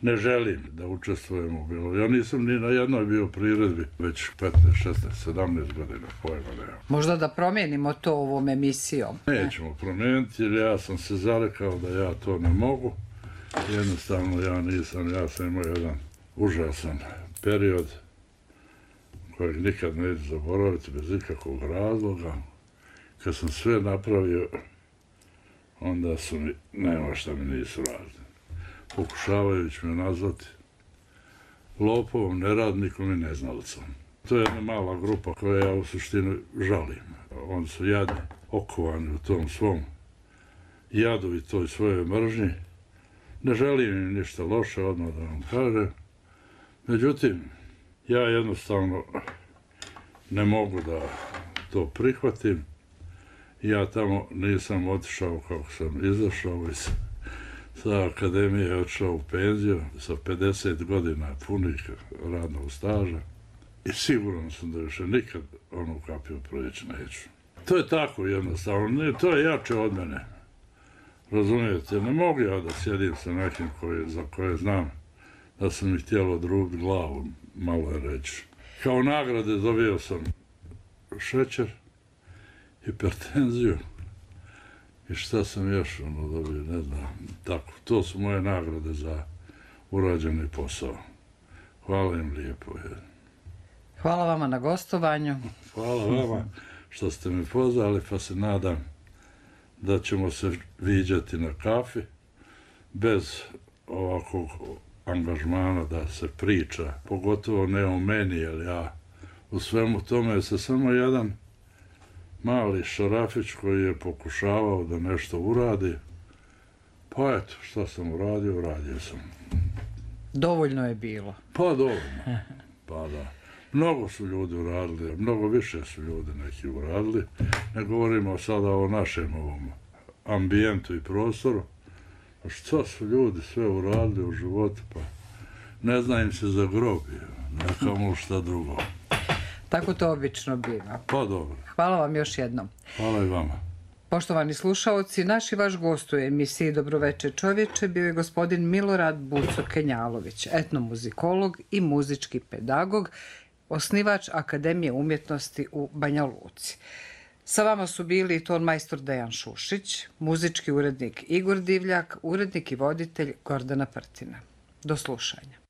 ne želim da učestvujem u bilo. Ja nisam ni na jednoj bio priredbi već petnaest, šesnaest, sedamnaest godina, pojma nema. Možda da promijenimo to ovom emisijom. Nećemo promijeniti jer ja sam se zarekao da ja to ne mogu. Jednostavno ja nisam, ja sam imao jedan užasan period kojeg nikad neću zaboraviti bez ikakvog razloga. Kad sam sve napravio, onda su mi, nema šta mi nisu radili. Pokušavajući me nazvati lopovom, neradnikom i neznalicom. To je jedna mala grupa koja ja u suštini žalim. Oni su jadni, okovani u tom svom jadu i toj svojoj mržnji. Ne želim im ništa loše, odmah da vam kažem. Međutim, ja jednostavno ne mogu da to prihvatim. Ja tamo nisam otišao kako sam izašao iz sa akademije, otišao u penziju sa pedeset godina punih radnog staža i siguran sam da više nikad onu kapiju projeći neću. To je tako jednostavno, ne, to je jače od mene. Razumijete, ne mogu ja da sjedim sa nekim koji, za koje znam da sam mi htjelo odrubiti glavu, malo je reći. Kao nagrade dobio sam šećer, hipertenziju i šta sam još ono dobio, ne znam. Tako, to su moje nagrade za urađeni posao. Hvala im lijepo. Je. Hvala vama na gostovanju. Hvala vama što ste me pozvali, pa se nadam da ćemo se viđati na kafi bez ovakvog angažmana da se priča, pogotovo ne o meni, jer ja u svemu tome se samo jedan mali šarafić koji je pokušavao da nešto uradi, pa eto, šta sam uradio, uradio sam. Dovoljno je bilo. Pa dovoljno, pa da. Mnogo su ljudi uradili, mnogo više su ljudi neki uradili. Ne govorimo sada o našem ovom ambijentu i prostoru. A što su ljudi sve uradili u životu, pa ne zna im se za grobi, nekamo šta drugo. Tako to obično biva. Pa dobro. Hvala vam još jednom. Hvala i vama. Poštovani slušaoci, naš i vaš gost u emisiji Dobroveče čovječe bio je gospodin Milorad Buco-Kenjalović, etnomuzikolog i muzički pedagog, osnivač Akademije umjetnosti u Banja Luci. Sa vama su bili tonmajstor Dejan Šušić, muzički urednik Igor Divljak, urednik i voditelj Gordana Prtina. Do slušanja.